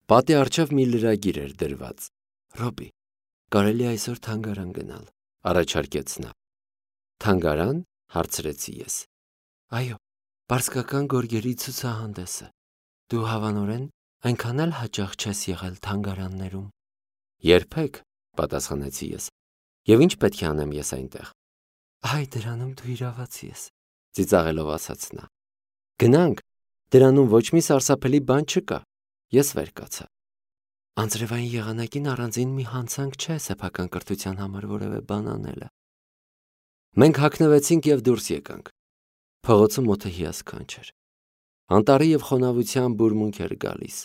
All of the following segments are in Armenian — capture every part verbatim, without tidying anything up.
Պատի առջև մի լրագիր էր դրված։ Ռոբի, կարելի այսօր թանգարան գնալ, առաջարկեց նա։ Թանգարան, հարցրեցի ես։ Այո, պարսկական գորգերի ցուցահանդեսը։ Դու հավանորեն այնքան էլ հաճախ չես եղել թանգարաններում։ Երբեք, պատասխանեցի ես։ Եվ ինչ պետք է անեմ ես այնտեղ։ Այ դրանում դու իրավացի ես, ծիծաղելով ասաց նա։ Գնանք, դրանում ոչ մի սարսափելի բան չկա։ Ես վեր կացա։ Անձրևային եղանակին առանձին մի հանցանք չէ սեփական կրթության համար որևէ բան անելը։ Մենք հագնվեցինք եւ դուրս եկանք։ Փողոցը մոթը հիասքանչ էր։ Անտառի եւ խոնավության բուրմունք էր գալիս։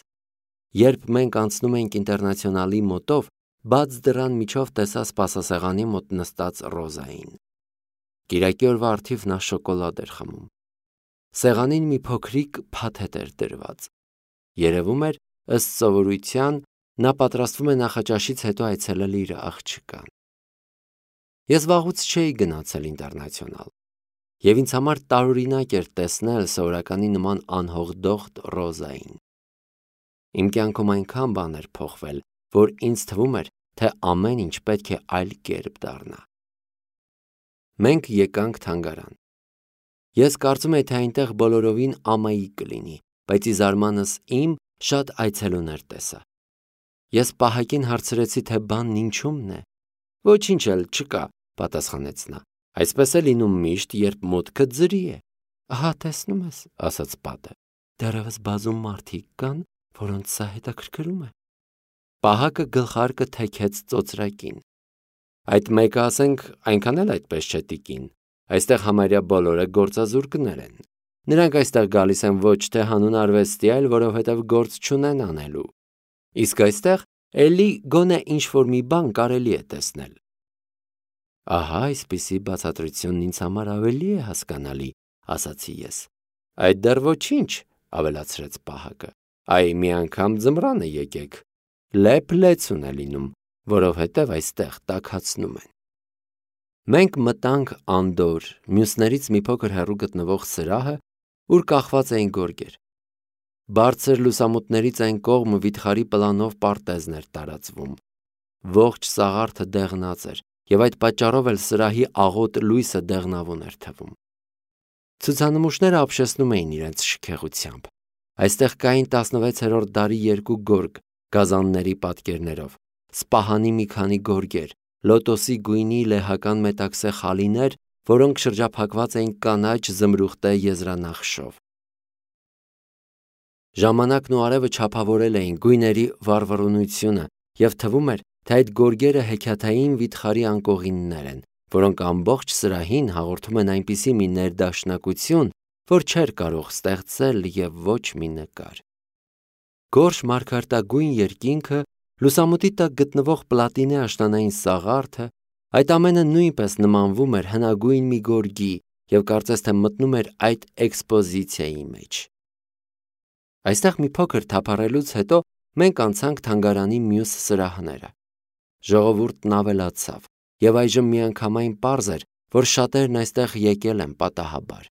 Երբ մենք անցնում էինք ինտերնացիոնալի մոտով, բաց դռան միջով տեսա սպասասեղանի մոտ նստած Ռոզային։ Կիրակի օրվա առթիվ նա շոկոլադ էր խմում։ Սեղանին մի փոքրիկ փաթեթ էր դրված։ Երևում էր, ըստ սովորության, նա պատրաստվում է նախաճաշից հետո այցելել իր աղջկան։ Ես վաղուց չէի գնացել ինտերնացիոնալ, եւ ինձ համար տարօրինակ էր տեսնել սովորականի նման անհողդողտ Ռոզային։ Իմ կյանքում այնքան բան էր փոխվել, որ ինձ թվում էր, թե ամեն ինչ պետք է այլ կերպ դառնա։ Մենք եկանք թանգարան։ Ես կարծում եի, թե այնտեղ բոլորովին ամայի կլինի, բայց ի զարմանս իմ շատ այցելուներ տեսա։ Ես պահակին հարցրեցի, թե բանն ինչումն է։ Ոչինչ էլ չկա, պատասխանեց նա։ Այսպես է լինում միշտ, երբ մուտքը ձրի է։ Ահա տեսնում ես, ասաց պատը։ Դեռևս բազում մարդիկ կան, որոնց սա հետաքրքրում է։ Պահակը գլխարկը թեքեց ծոծրակին։ Այդ մեկը, ասենք, այնքան էլ այդպես չէ տիկին։ Այստեղ համարյա բոլորը գործազուրկներ են։ Նրանք այստեղ գալիս են ոչ թե հանուն արվեստի, այլ որովհետև գործ չունեն անելու։ Իսկ այստեղ էլի գոնե ինչ-որ մի բան կարելի է տեսնել։ Ահա այսպիսի բացատրությունն ինձ համար ավելի է հասկանալի, ասացի ես։ Այդ դեռ ոչինչ, ավելացրեց պահակը։ Այ մի անգամ ձմռանը եկեք։ Լեփ-լեցուն է լինում, որովհետև այստեղ տաքացնում են։ Մենք մտանք անդոր, մյուսներից մի փոքր հեռու գտնվող սրահը, ուր կախված էին գորգեր։ Բարձր լուսամուտներից այն կողմ վիթխարի պլանով պարտեզն էր տարածվում։ Ողջ սաղարթը դեղնած էր, եւ այդ պատճառով էլ սրահի աղոտ լույսը դեղնավուն էր թվում։ Ցուցանմուշները ապշեցնում էին իրենց շքեղությամբ։ Այստեղ կային տասնվեցերորդ դարի երկու գորգ գազանների պատկերներով, սպահանի մի քանի գորգեր, լոտոսի գույնի լեհական մետաքսե խալիներ, որոնք շրջափակված էին կանաչ զմրուխտե եզրանախշով։ Ժամանակն ու արևը չափավորել էին գույների վառվռունությունը, եւ թվում էր, թե այդ գորգերը հեքիաթային վիթխարի անկողիններ են, որոնք ամբողջ սրահին հաղորդում են այնպիսի մի ներդաշնակություն, որ չէր կարող ստեղծել եւ ոչ մի նկար։ Գորշ մարգարտագույն երկինքը, լուսամուտի տակ գտնվող պլատինե աշնանային սաղարթը, այդ ամենը նույնպես նմանվում էր հնագույն մի գորգի եւ կարծես թե մտնում էր այդ էքսպոզիցիայի մեջ։ Այստեղ մի փոքր թափառելուց հետո մենք անցանք թանգարանի մյուս սրահները։ Ժողովուրդն ավելացավ, եւ այժմ միանգամայն պարզ էր, որ շատերն այստեղ եկել են պատահաբար։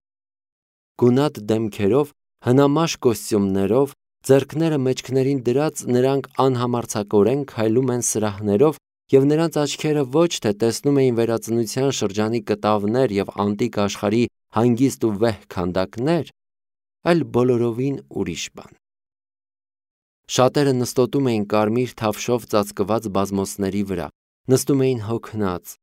Գունատ դեմքերով, հնամաշ կոստյումներով, ձեռքները մեջքներին դրած նրանք անհամարձակորեն քայլում են սրահներով, եւ նրանց աչքերը ոչ թե տեսնում էին վերածնության շրջանի կտավներ եւ անտիկ աշխարհի հանգիստ ու վեհ քանդակներ, այլ բոլորովին ուրիշ բան։ Շատերը նստոտում էին կարմիր թավշով ծածկված բազմոցների վրա, նստում էին հոգնած,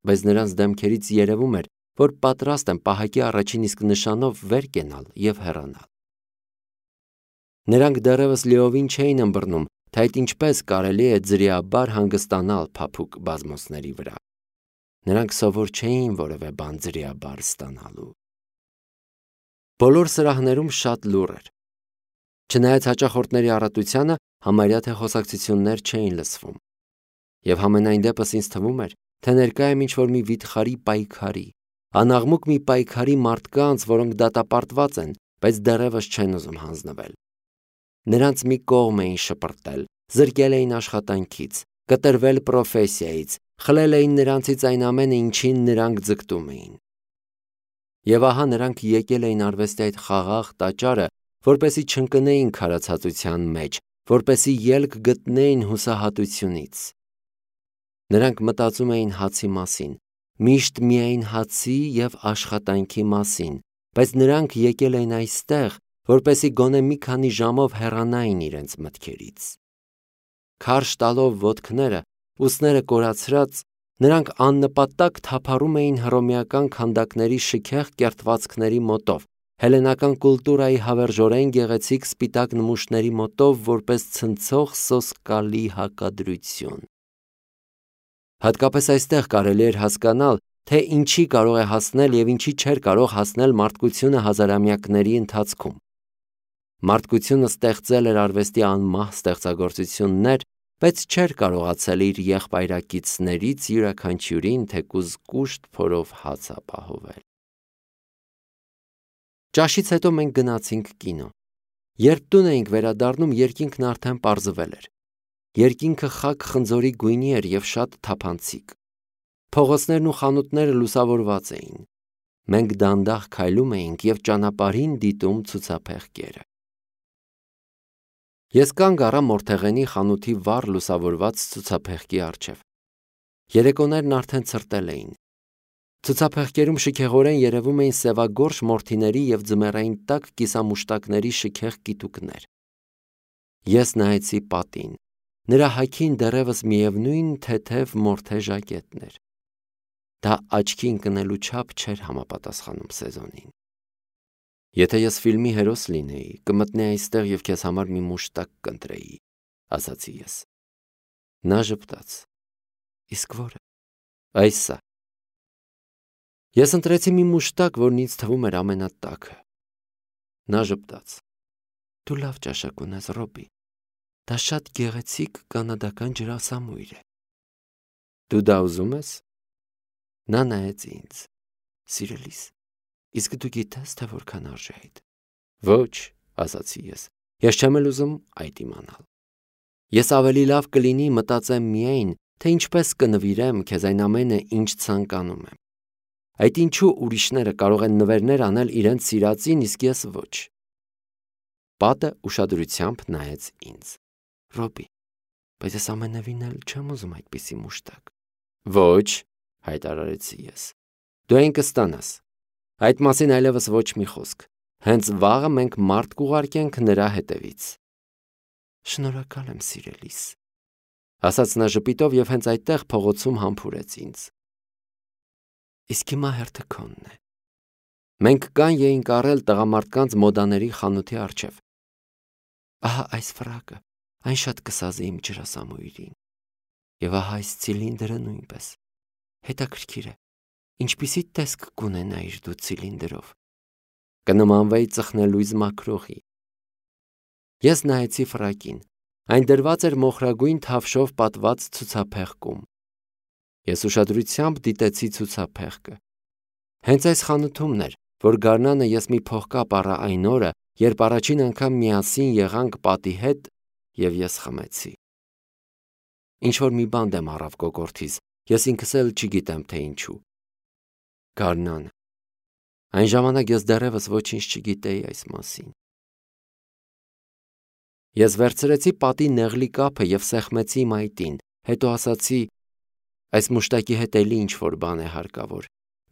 բայց նրանց դեմքերից երևում էր, որ պատրաստ են պահակի առաջին իսկ նշանով վեր կենալ եւ հեռանալ։ Նրանք դեռևս լիովին չէին ըմբռնում, թե այդ ինչպես կարելի է ձրիաբար հանգստանալ փափուկ բազմոցների վրա։ Նրանք սովոր չէին որևէ բան ձրիաբար ստանալու։ Բոլոր սրահներում շատ լուռ էր։ Չնայած հաճախորդների առատությանը, համարյա թե խոսակցություններ չէին լսվում։ Եվ համենայն դեպս ինձ թվում էր, թե ներկա եմ ինչ-որ մի վիթխարի պայքարի, անաղմուկ մի պայքարի մարդկանց, որոնք դատապարտված են, բայց դեռևս չեն ուզում հանձնվել։ Նրանց մի կողմ էին շպրտել, զրկել էին աշխատանքից, կտրվել պրոֆեսիայից, խլել էին նրանցից այն ամենը, ինչին նրանք ձգտում էին։ Եվ ահա նրանք եկել էին արվեստի այդ խաղաղ տաճարը, որպեսզի չընկնեին քարացածության մեջ, որպեսզի ելք գտնեին հուսահատությունից։ Նրանք մտածում էին հացի մասին, միշտ միայն հացի և աշխատանքի մասին, բայց նրանք եկել էին այստեղ, որպեսզի գոնե մի քանի ժամով հեռանային իրենց մտքերից։ Քարշ տալով ոտքները, ուսները կորացրած, նրանք աննպատակ թափառում էին հռոմեական քանդակների շքեղ կերտվածքների մոտով, հելլենական կուլտուրայի հավերժորեն գեղեցիկ սպիտակ նմուշների մոտով, որպես ցնցող սոսկալի հակադրություն։ Հատկապես այստեղ կարելի էր հասկանալ, թե ինչի կարող է հասնել և ինչի չէր կարող հասնել մարդկությունը հազարամյակների ընթացքում։ Մարդկությունը ստեղծել էր արվեստի անմահ ստեղծագործություններ, բայց չէր կարողացել իր եղբայրակիցներից յուրաքանչյուրին թեկուզ կուշտ փորով հաց ապահովել։ Ճաշից հետո մենք գնացինք կինո։ Երբ տուն էինք վերադառնում, երկինքն արդեն պարզվել էր։ Երկինքը խաք խնձորի գույնի էր և շատ թափանցիկ։ Փողոցներն ու խանութները լուսավորված էին։ Մենք դանդաղ քայլում էինք և ճանապարհին դիտում ցուցափեղկերը։ Ես կանգ առա Մորթեղենի խանութի վառ լուսավորված ցուցափեղկի առջև։ Երեկոներն արդեն ցրտել էին։ Ցուցափեղկերում շքեղորեն երևում էին սևագորշ մորթիների և ձմեռային տաք կիսամուշտակների շքեղ կիտուկներ։ Ես նայեցի պատին։ Նրա հագին դեռևս միևնույն թեթև մորթե ժակետն էր։ Դա աչքի ընկնելու չափ չէր համապատասխանում սեզոնին։ Եթե ես ֆիլմի հերոս լինեի, կմտնեի այստեղ և քեզ համար մի մուշտակ կընտրեի, ասացի ես։ Նա ժպտաց։ Իսկ որը։ Այս սա։ Ես ընտրեցի մի մուշտակ, որն ինձ թվում էր ամենատաքը։ Նա ժպտաց։ Դու լավ ճաշակ ունես, Ռոբի։ Դա շատ գեղեցիկ կանադական ջրասամույր է։ Դու դա ուզում ես։ Նա նայեց ինձ։ Սիրելիս, իսկ դու գիտես, թե որքան արժի այդ։ Ոչ, ասացի ես։ Ես չեմ էլ ուզում այդ իմանալ։ Ես ավելի լավ կլինի մտածեմ միայն, թե ինչպես կնվիրեմ քեզ այն ամենը, ինչ ցանկանում եմ։ Այդ ինչու ուրիշները կարող են նվերներ անել իրենց սիրածին, իսկ ես ոչ։ Պատը ուշադրությամբ նայեց ինձ։ Ռոբի, բայց ես ամենևին էլ չեմ ուզում այդպիսի մուշտակ։ Ոչ, հայտարարեցի ես։ Դու այն կստանաս։ Այդ մասին այլևս ոչ մի խոսք։ Հենց վաղը մենք մարդ կուղարկենք նրա հետևից։ Շնորհակալ եմ, սիրելիս, ասաց նա ժպիտով և հենց այդտեղ փողոցում համբուրեց ինձ։ Իսկ հիմա հերթը քոնն է։ Մենք կան էինք առել տղամարդկանց մոդաների խանութի առջև։ Ահա այս ֆրակը, այն շատ կսազի իմ ջրասամույրին։ Եվ ահա այս ցիլինդրը նույնպես։ Հետաքրքիր է, ինչպիսի տեսք կունենայիր դու ցիլինդրով։ Կնմանվեի ծխնելույզ մաքրողի։ Ես նայեցի ֆրակին։ Այն դրված էր մոխրագույն թավշով պատված ցուցափեղկում։ Ես ուշադրությամբ դիտեցի ցուցափեղկը։ Հենց այս խանութումն էր, որ գարնանը ես մի փողկապ առա այն օրը, երբ առաջին անգամ միասին եղանք պատի հետ, և ես խմեցի։ Ինչ-որ մի բան դեմ առավ կոկորդիս, ես ինքս էլ չգիտեմ, թե ինչու։ Գարնանը։ Այն ժամանակ ես դեռևս ոչինչ չգիտեի այս մասին։ Ես վերցրեցի պատի նեղլի կափը և սեղմեցի մայթին, հետո ասացի. այս մուշտակի հետ էլի ինչ-որ բան է հարկավոր,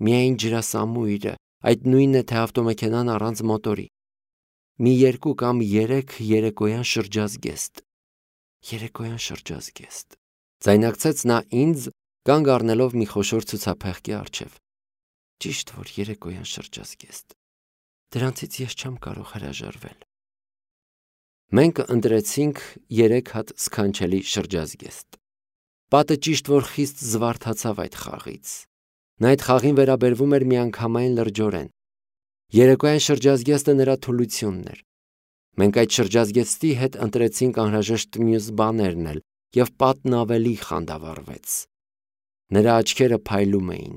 միայն ջրասամույրը, այդ նույնն է, թե ավտոմեքենան առանց մոտորի։ Մի երկու կամ երեք երեկոյան շրջազգեստ։ Երեկոյան շրջազգեստ։ Ձայնարկեց նա ինձ, կանգ առնելով մի խոշոր ցուցափեղկի առջև։ Ճիշտ որ երեկոյան շրջազգեստ։ Դրանցից ես չեմ կարող հրաժարվել։ Մենք ընտրեցինք երեք հատ սքանչելի շրջազգեստ։ Պատը ճիշտ որ խիստ զվարթացավ այդ խաղից։ Նա այդ խաղին վերաբերվում էր միանգամայն լրջորեն։ Երեկոյան շրջազգեստը նրա թուլությունն էր։ Մենք այդ շրջազգեստի հետ ընտրեցինք անհրաժեշտ մյուս բաներն էլ, և պատն ավելի խանդավառվեց։ Նրա աչքերը փայլում էին։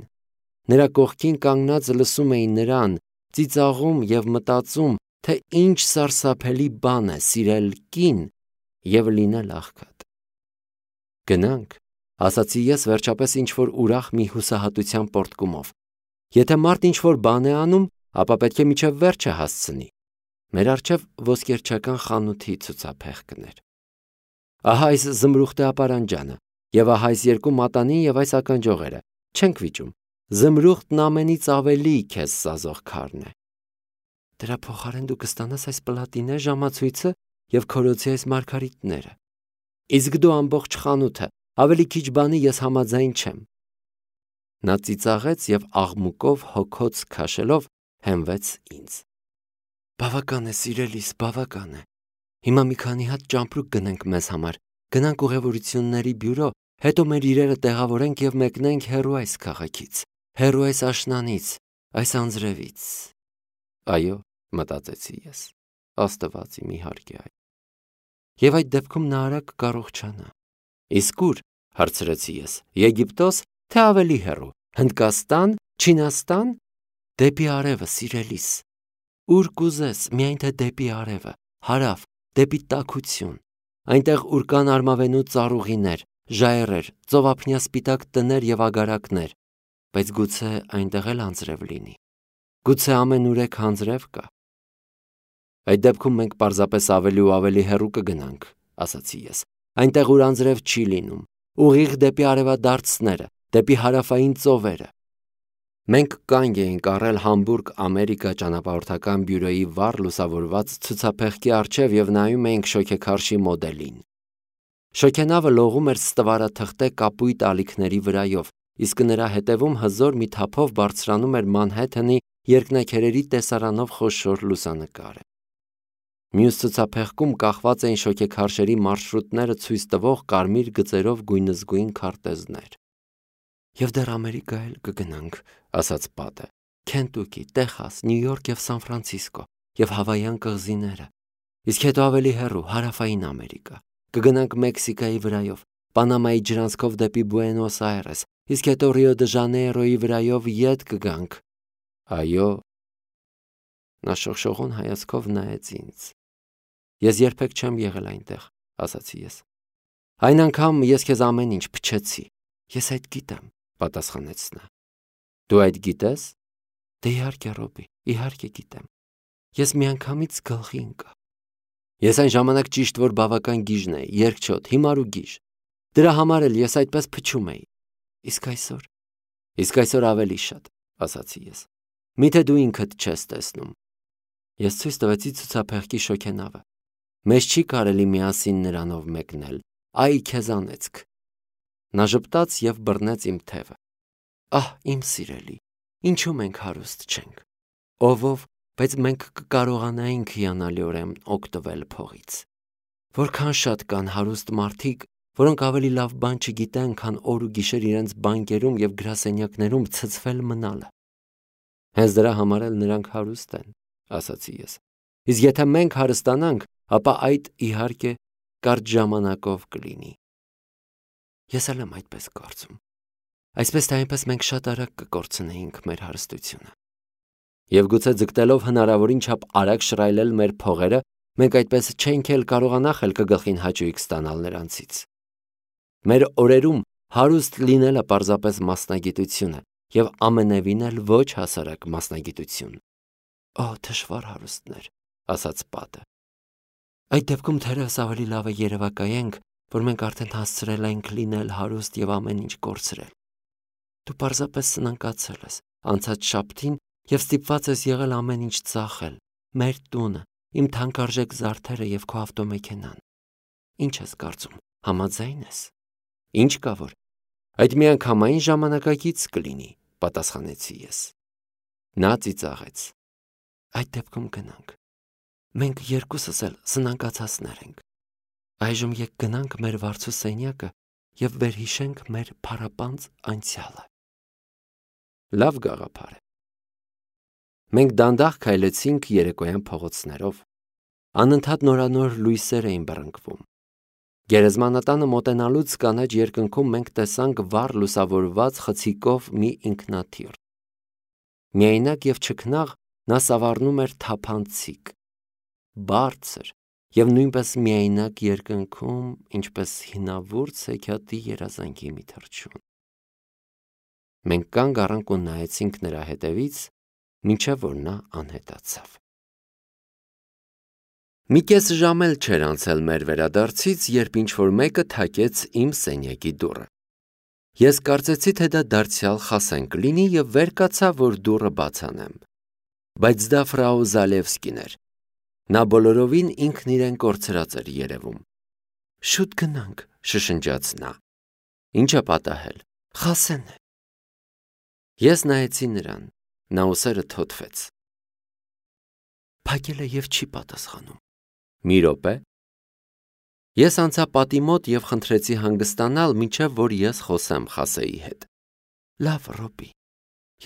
Նրա կողքին կանգնած լսում էի նրան, ծիծաղում և մտածում, թե ինչ սարսափելի բան է սիրել կին և լինել աղքատ։ Գնանք, ասացի ես վերջապես ինչ-որ ուրախ մի հուսահատության պոռթկումով։ Եթե մարդ ինչ-որ բան է անում, ապա պետք է մինչև վերջը հասցնի։ Մեր առջև ոսկերչական խանութի ցուցափեղկն էր։ Ահա այս զմրուխտե ապարանջանը, եւ ահա այս երկու մատանին եւ այս ականջողերը, չենք վիճում, զմրուխտն ամենից ավելի քեզ սազող քարն է։ Դրա փոխարեն դու կստանաս այս պլատինե ժամացույցը եւ քորոցի այս մարգարիտները։ Իսկ դու ամբողջ խանութը, ավելի քիչ բանի ես համաձայն չեմ։ Նա ծիծաղեց եւ աղմուկով հոգոց քաշելով հենվեց ինձ։ Բավական է, սիրելիս, բավական է։ Հիմա մի քանի հատ ճամպրուկ գնենք մեզ համար, գնանք ուղևորությունների բյուրո, հետո մեր իրերը տեղավորենք եւ մեկնենք հեռու այս քաղաքից, հեռու այս աշնանից, այս անձրևից։ Այո, մտածեցի ես, Աստված իմ իհարկե այ։ Եվ այդ դեպքում նա արագ կառողջանա։ Իսկ ուր, հարցրեցի ես, Եգիպտոս, թե ավելի հեռու, Հնդկաստան, Չինաստան, դեպի արևը, սիրելիս։ Ուր կուզես, միայն թե դեպի արևը, հարավ, դեպի տաքություն, այնտեղ ուր կան արմավենու ծառուղիներ, ժայռեր, ծովափնյա սպիտակ տներ եւ ագարակներ, բայց գուցե այնտեղ էլ անձրև լինի։ Գուցե ամենուրեք անձրև կա։ Այդ դեպքում մենք պարզապես ավելի ու ավելի հեռու կգնանք, ասացի ես, այնտեղ ուր անձրև չի լինում, ուղիղ դեպի արևադարձները, դեպի հարավային ծովերը։ Մենք կանգ էինք առել Համբուրգ, Ամերիկա ճանապարհորդական բյուրոյի վառ լուսավորված ցուցափեղկի առջև եւ նայում էինք շոգեքարշի մոդելին։ Շոգենավը լողում էր ստվարաթղթե կապույտ ալիքների վրայով, իսկ նրա հետևում հզոր մի թափով բարձրանում էր Մանհեթենի երկնաքերերի տեսարանով խոշոր լուսանկարը։ Մյուս ցուցափեղկում կախված էին շոգեքարշերի մարշրուտները ցույց տվող կարմիր գծերով գույնզգույն քարտեզներ։ Եվ դեռ Ամերիկա էլ կգնանք, ասաց Պատը, Քենտուկի, Տեխաս, Նյու Յորք եւ Սան Ֆրանցիսկո եւ Հավայան կղզիները, իսկ հետո ավելի հեռու հարավային Ամերիկա, կգնանք Մեքսիկայի վրայով, Պանամայի ջրանցքով դեպի Բուենոս Այրես, իսկ հետո Ռիո դե Ժանեյրոյի վրայով ետ կգանք։ Այո։ Նա շողշողուն հայացքով նայեց ինձ։ Ես երբեք չեմ եղել այնտեղ, ասացի ես։ Այն անգամ ես քեզ ամեն ինչ փչեցի։ Ես այդ գիտեմ, պատասխանեց նա։ Դու այդ գիտես։ Դե իհարկե, Ռոբի, իհարկե գիտեմ։ Ես միանգամից գլխի ընկա։ Ես այն ժամանակ ճիշտ որ բավական գիժն էի, երկչոտ, հիմար ու գիժ։ Դրա համար էլ ես այդպես փչում էի։ Իսկ այսօր։ Իսկ այսօր ավելի շատ, ասացի ես։ Միթե դու ինքդ չես տեսնում։ Ես ցույց տվեցի ցուցափեղկի շոգենավը։ Մեզ չի կարելի միասին նրանով մեկնել։ Այ քեզ անեծք։ Նա ժպտաց եւ բռնեց իմ թևը։ Ահ, իմ սիրելի, ինչու մենք հարուստ չենք։ Ով-ով, բայց մենք կկարողանայինք հիանալիորեն օգտվել փողից։ Որքան շատ կան հարուստ մարդիկ, որոնք ավելի լավ բան չգիտեն, քան օր ու գիշեր իրենց բանկերում եւ գրասենյակներում ցցվել մնալը։ Հենց դրա համար էլ նրանք հարուստ են, ասացի ես։ Իսկ եթե մենք հարստանանք, ապա այդ իհարկե կարճ ժամանակով կլինի։ Ես էլ եմ այդպես կարծում։ Այսպես թե այնպես մենք շատ արագ կկորցնեինք մեր հարստությունը։ Եվ գուցե ձգտելով հնարավորին չափ արագ շռայլել մեր փողերը, մենք այդպես չենք էլ կարողանա խելքը գլխին հաճույք ստանալ նրանցից։ Մեր օրերում հարուստ լինելը պարզապես մասնագիտություն է, եւ ամենևին էլ ոչ հասարակ մասնագիտություն։ Օ, դժվար հարուստներ, ասաց Պատը։ Այդ դեպքում թերևս ավելի լավ է երևակայենք, որ մենք արդեն հասցրել ենք լինել հարուստ եւ ամեն ինչ կորցրել։ Դու պարզապես սնանկացել ես անցած շաբթին եւ ստիպված ես եղել ամեն ինչ ծախել, մեր տունը, իմ թանկարժեք զարդերը եւ քո ավտոմեքենան։ Ինչ ես կարծում, համաձայն ես։ Ինչ կա որ։ Այդ միանգամայն ժամանակակից կլինի, պատասխանեցի ես։ Նա ծիծաղեց։ Այդ դեպքում գնանք։ Մենք երկուսս էլ սնանկացածներ ենք։ Այժմ եկ գնանք մեր վարձու սենյակը եւ վերհիշենք մեր փառապանծ անցյալը։ Լավ գաղափար է։ Մենք դանդաղ քայլեցինք երեկոյան փողոցներով։ Անընդհատ նորանոր լույսեր էին բռնկվում։ Գերեզմանատանը մոտենալուց կանաչ երկնքում մենք տեսանք վառ լուսավորված խցիկով մի ինքնաթիռ։ Միայնակ եւ չքնաղ նա սավառնում էր թափանցիկ, բարձր եւ նույնպես միայնակ երկնքում, ինչպես հինավուրց հեքիաթի երազանքի մի թռչուն։ Մենք կանգ առանք ու նայեցինք նրա հետևից, մինչև որ նա անհետացավ։ Մի կես ժամ էլ չէր անցել մեր վերադարձից, երբ ինչ-որ մեկը թակեց իմ սենյակի դուռը։ Ես կարծեցի, թե դա դարձյալ Խասեն կլինի և վեր կացա, որ դուռը բաց անեմ։ Բայց դա ֆրау Զալևսկին էր։ Նա բոլորովին ինքն իրեն կորցրած էր երևում։ Շուտ գնանք, շշնջաց նա։ Ինչ է պատահել։ Խասեն է։ Ես նայեցի նրան, նա ուսերը թոթվեց։ Փակել է և չի պատասխանում։ Մի րոպե։ Ես անցա պատի մոտ և խնդրեցի հանգստանալ, մինչև որ ես խոսեմ Խասեի հետ։ Լավ, Ռոբի,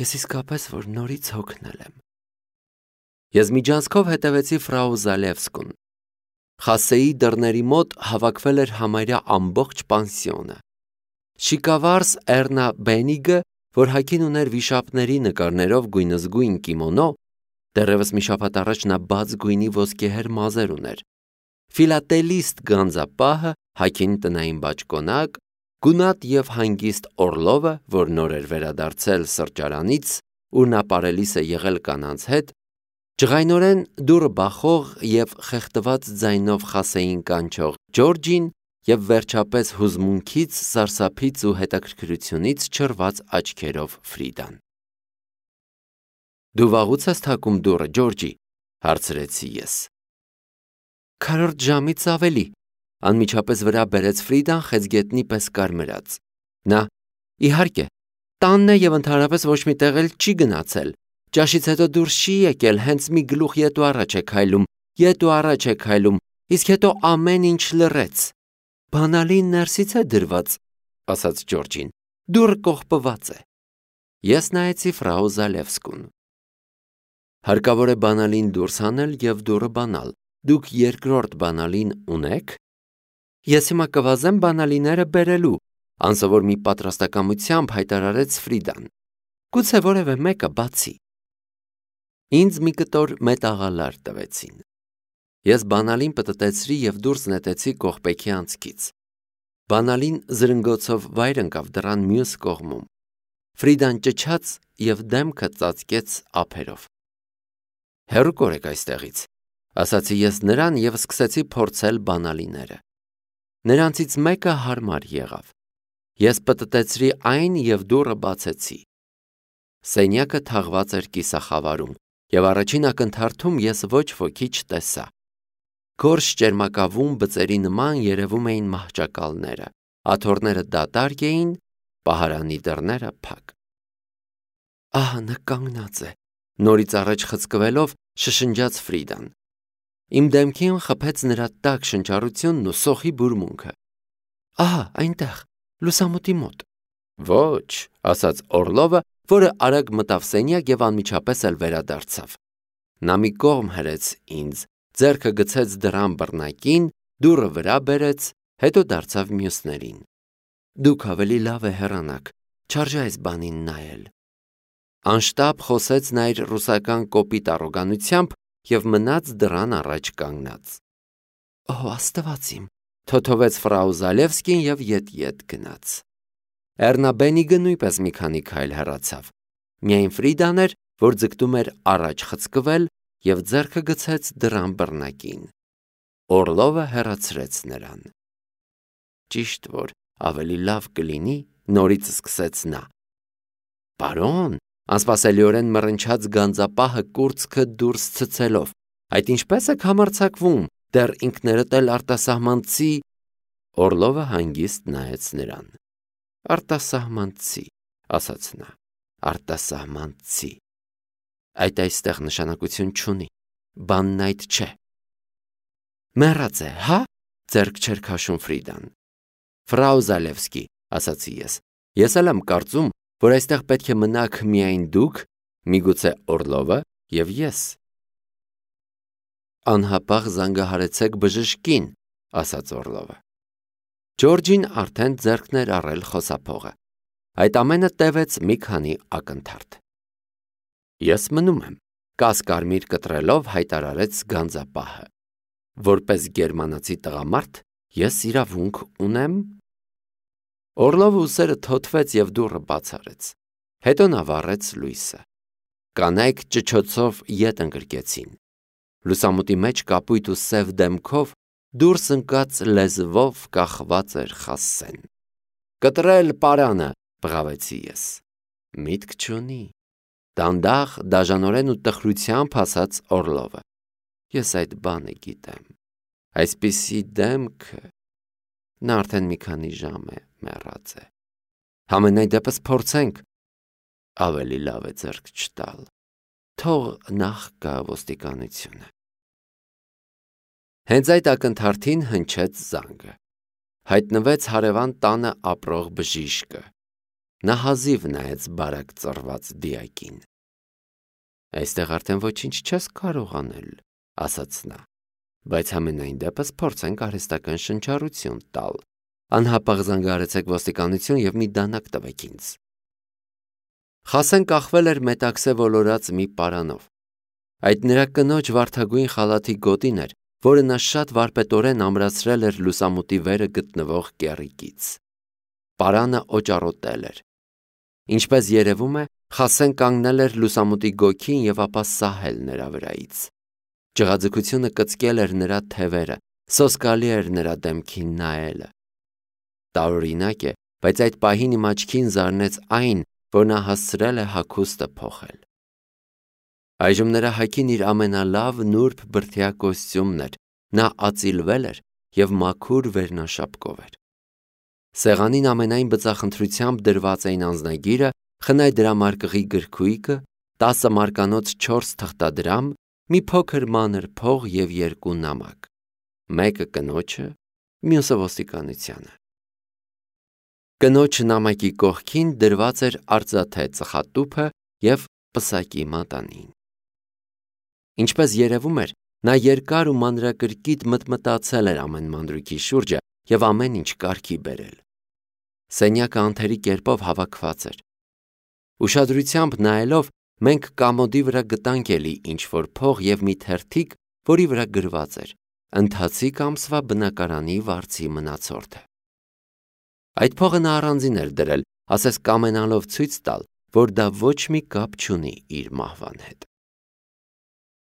ես իսկապես որ նորից հոգնել եմ։ Ես միջանցքով հետևեցի ֆրау Զալևսկուն։ Խասեի դռների մոտ հավաքվել էր համարյա ամբողջ պանսիոնը։ Շիկավարս Էռնա Բենիգը, որ հագին ուներ վիշապների նկարներով գույնզգույն կիմոնո, դեռևս մի շաբաթ առաջ նա բաց գույնի ոսկեհեր մազեր ուներ, ֆիլատելիստ գանձապահը, հագին տնային բաճկոնակ, գունատ և հանգիստ Օրլովը, որ նոր էր վերադարձել սրճարանից, ուր նա պարելիս է եղել կանանց հետ, ջղայնորեն դուռը բախող և խեղդված ձայնով Խասեին կանչող Ջորջին և վերջապես հուզմունքից, սարսափից ու հետաքրքրությունից չռված աչքերով Ֆրիդան։ Դու վաղուց ես թակում դուռը, Ջորջի, հարցրեցի ես։ Քառորդ ժամից ավելի, անմիջապես վրա բերեց Ֆրիդան խեցգետնի պես կարմրած։ Նա, իհարկե, տանն է և ընդհանրապես ոչ մի տեղ էլ չի գնացել։ Ճաշից հետո դուրս չի եկել, հենց մի գլուխ ետ ու առաջ է քայլում, ետ ու առաջ է քայլում, իսկ հետո ամեն ինչ լռեց։ Բանալին ներսից է դրված, ասաց Ջորջին, դուռը կողպված է։ Ես նայեցի ֆրау Զալևսկուն։ Հարկավոր է բանալին դուրս հանել և դուռը բանալ։ Դուք երկրորդ բանալին ունե՞ք։ Ես հիմա կվազեմ բանալիները բերելու, անսովոր մի պատրաստակամությամբ հայտարարեց Ֆրիդան։ Գուցե որևէ մեկը բացի։ Ինձ մի կտոր մետաղալար տվեցին։ Ես բանալին պտտեցրի և դուրս նետեցի կողպեքի անցքից։ Բանալին զրնգոցով վայր ընկավ դռան մյուս կողմում։ Ֆրիդան ճչաց և դեմքը ծածկեց ափերով։ Հեռու կորեք այստեղից, ասացի ես նրան և սկսեցի փորձել բանալիները։ Նրանցից մեկը հարմար եղավ։ Ես պտտեցրի այն և դուռը բացեցի։ Սենյակը թաղված էր կիսախավարում, և առաջին ակնթարթում ես ոչ ոքի չտեսա։ Գորշ ճերմակավուն բծերի նման երևում էին մահճակալները, աթոռները դատարկ էին, պահարանի դռները փակ։ Ահա նա կանգնած է, նորից առաջ խցկվելով շշնջաց Ֆրիդան։ Իմ դեմքին խփեց նրա տաք շնչառությունն ու սոխի բուրմունքը։ Ահա այնտեղ, լուսամուտի մոտ։ Ոչ, ասաց Օրլովը, որը արագ մտավ սենյակ և անմիջապես էլ վերադարձավ։ Նա մի կողմ հրեց ինձ, ձեռքը գցեց դռան բռնակին, դուռը վրա բերեց, հետո դարձավ մյուսներին։ Դուք ավելի լավ է հեռանաք, չարժե այս բանին նայել։ Անշտապ խոսեց նա իր ռուսական կոպիտ առոգանությամբ և մնաց դռան առաջ կանգնած։ Օ, Աստված իմ, թոթովեց ֆրау Զալևսկին և ետ-ետ գնաց։ Էռնա Բենիգը նույնպես մի քանի քայլ հեռացավ։ Միայն Ֆրիդան էր, որ ձգտում էր առաջ խցկվել և ձեռքը գցեց դռան բռնակին։ Օրլովը հեռացրեց նրան։ Ճիշտ որ ավելի լավ կլինի, նորից սկսեց նա։ Պարոն, անսպասելիորեն մռնչաց գանձապահը կուրծքը դուրս ցցելով, այդ ինչպես եք համարձակվում, դեռ ինքներդ էլ արտասահմանցի։ Օրլովը հանգիստ նայեց նրան։ Արտասահմանցի, ասաց նա, արտասահմանցի։ Այդ այստեղ նշանակություն չունի, բանն այդ չէ։ Մեռած է, հա, ձեռք չէր քաշում Ֆրիդան։ Ֆրау Զալևսկի, ասացի ես, ես էլ եմ կարծում, որ այստեղ պետք է մնաք միայն դուք, միգուցե Օրլովը և ես։ Անհապաղ զանգահարեցեք բժշկին, ասաց Օրլովը։ Ջորջին արդեն ձեռքն էր առել խոսափողը։ Այդ ամենը տևեց մի քանի ակնթարթ։ Ես մնում եմ, կասկարմիր կտրելով հայտարարեց գանձապահը։ Որպես գերմանացի տղամարդ, ես իրավունք ունեմ։ Օրլովը ուսերը թոթվեց և դուռը բաց արեց։ Հետո նա վառեց լույսը։ Կանայք ճչոցով ետ ընկրկեցին։ Լուսամուտի մեջ կապույտ ու սև դեմքով դուրս ընկած լեզվով կախված էր Խասեն։ «Կտրել պարանը», բղավեցի ես։ «Միտք չունի», դանդաղ, դաժանորեն ու տխրությամբ ասաց Օռլովը։ «Ես այդ բանը գիտեմ։ Այսպիսի դեմքը…» Նա արդեն մի քանի ժամ է մեռած է։ «Համենայն դեպս փորձենք»։ Ավելի լավ է ձեռք չտալ։ Թող նախ գա ոստիկանությունը։ Հենց այդ ակնթարթին հնչեց զանգը։ Հայտնվեց հարևան տանը ապրող բժիշկը։ Նա հազիվ նայեց բարակ ծռված դիակին։ «Այստեղ արդեն ոչինչ չես կարող անել», ասաց նա, «բայց համենայն դեպս փորձենք արհեստական շնչառություն տալ։ Անհապաղ զանգահարեցեք ոստիկանություն և մի դանակ տվեք ինձ»։ Խասեն կախվել էր մետաքսե ոլորած մի պարանով։ Այդ նրա կնոջ վարդագույն խալաթի գոտին էր, որը նա շատ վարպետորեն ամրացրել էր լուսամուտի վերը գտնվող կեռիկից։ Պարանը օճառոտել էր։ Ինչպես երևում է, Խասեն կանգնել էր լուսամուտի գոգին և ապա սահել նրա վրայից։ Ջղաձգությունը կծկել էր նրա թևերը, սոսկալի էր նրա դեմքին նայելը։ Տարօրինակ է, բայց այդ պահին իմ աչքին զարնեց այն, որ նա հասցրել է հագուստը փոխել։ Այժմ նրա հագին իր ամենալավ նուրբ բրդյա կոստյումն էր, նա ածիլվել էր և մաքուր վերնաշապկով էր։ Սեղանին ամենայն բծախնդրությամբ դրված էին անձնագիրը, խնայ դրամարկղի գրքույկը, տասը մարկանոց չորս թղթադրամ, մի փոքր մանր փող և երկու նամակ, մեկը կնոջը, մյուսը ոստիկանությանը։ Կնոջ նամակի կողքին դրված էր արծաթե ծխատուփը և պսակի մատանին։ Ինչպես երևում էր, նա երկար ու մանրակրկիտ մտմտացել էր ամեն մանրուքի շուրջը և ամեն ինչ կարգի բերել։ Սենյակը անթերի կերպով հավաքված էր։ Ուշադրությամբ նայելով, մենք կամոդի վրա գտանք էլի ինչ-որ փող և մի թերթիկ, որի վրա գրված էր. «Ընթացիկ ամսվա բնակարանի վարձի մնացորդը»։ Այդ փողը նա առանձին էր դրել, ասես կամենալով ցույց տալ, որ դա ոչ մի կապ չունի իր մահվան հետ։